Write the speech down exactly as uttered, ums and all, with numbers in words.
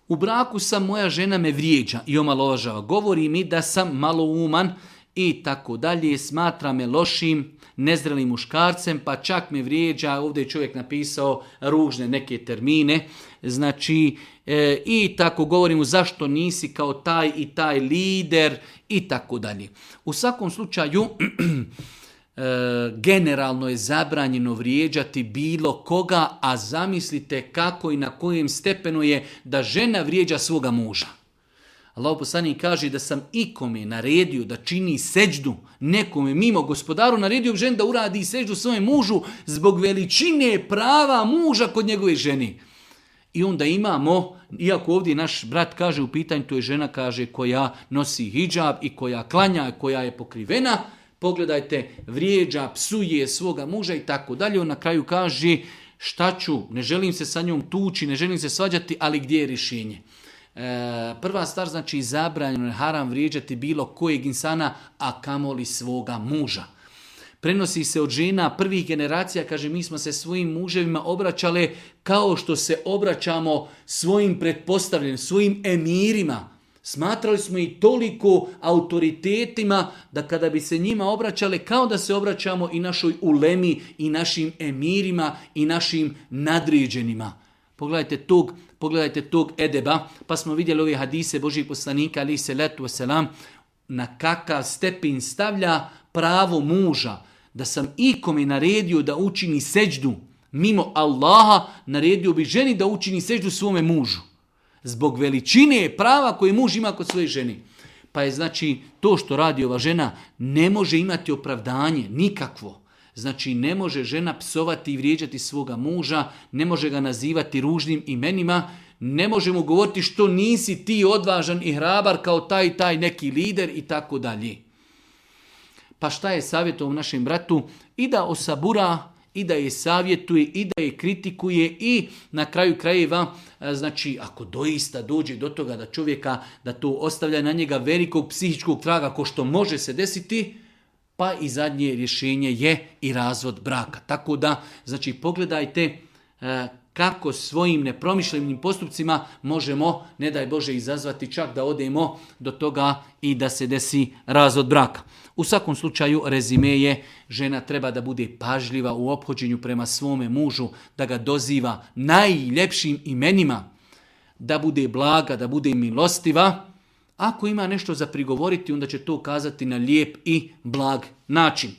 U braku sam, moja žena me vrijeđa i omalovažava. Govori mi da sam malouman i tako dalje. Smatra me lošim, nezrelim muškarcem, pa čak me vrijeđa. Ovdje je čovjek napisao ružne neke termine. Znači, e, i tako govori mu zašto nisi kao taj i taj lider i tako dalje. U svakom slučaju, E, generalno je zabranjeno vrijeđati bilo koga, a zamislite kako i na kojem stepenu je da žena vrijeđa svoga muža. Allahov poslanik kaže da sam ikome naredio da čini seđdu, nekome mimo gospodaru naredio žen da uradi seđdu svojem mužu zbog veličine prava muža kod njegove ženi. I onda imamo, iako ovdje naš brat kaže u pitanju, to je žena kaže koja nosi hidžab i koja klanja, koja je pokrivena, pogledajte, vrijeđa, psuje svoga muža i tako dalje. On na kraju kaže šta ću, ne želim se sa njom tući, ne želim se svađati, ali gdje je rješenje? E, prva stvar, znači zabranjeno je haram vrijeđati bilo kojeg insana, a kamoli svoga muža. Prenosi se od žena prvih generacija, kaže mi smo se svojim muževima obraćale kao što se obraćamo svojim pretpostavljenim, svojim emirima. Smatrali smo i toliko autoritetima da kada bi se njima obraćale kao da se obraćamo i našoj ulemi i našim emirima i našim nadređenima. Pogledajte tog, pogledajte tog edeba, pa smo vidjeli ove hadise Božih poslanika ali se letu selam na kakav stepen stavlja pravo muža. Da sam ikome naredio da učini seđdu mimo Allaha, naredio bi ženi da učini seđdu svome mužu. Zbog veličine prava koje muž ima kod svoje žene. Pa je znači to što radi ova žena ne može imati opravdanje, nikakvo. Znači ne može žena psovati i vrijeđati svoga muža, ne može ga nazivati ružnim imenima, ne može mu govoriti što nisi ti odvažan i hrabar kao taj taj neki lider i tako dalje. Pa šta je savjetom našem bratu? I da osabura, i da je savjetuje, i da je kritikuje i na kraju krajeva, znači ako doista dođe do toga da čovjeka, da to ostavlja na njega velikog psihičkog traga ko što može se desiti, pa i zadnje rješenje je i razvod braka. Tako da, znači pogledajte kako svojim nepromišljenim postupcima možemo, ne daj Bože, izazvati čak da odemo do toga i da se desi razvod braka. U svakom slučaju rezime je žena treba da bude pažljiva u ophođenju prema svome mužu, da ga doziva najljepšim imenima, da bude blaga, da bude milostiva. Ako ima nešto za prigovoriti, onda će to kazati na lijep i blag način.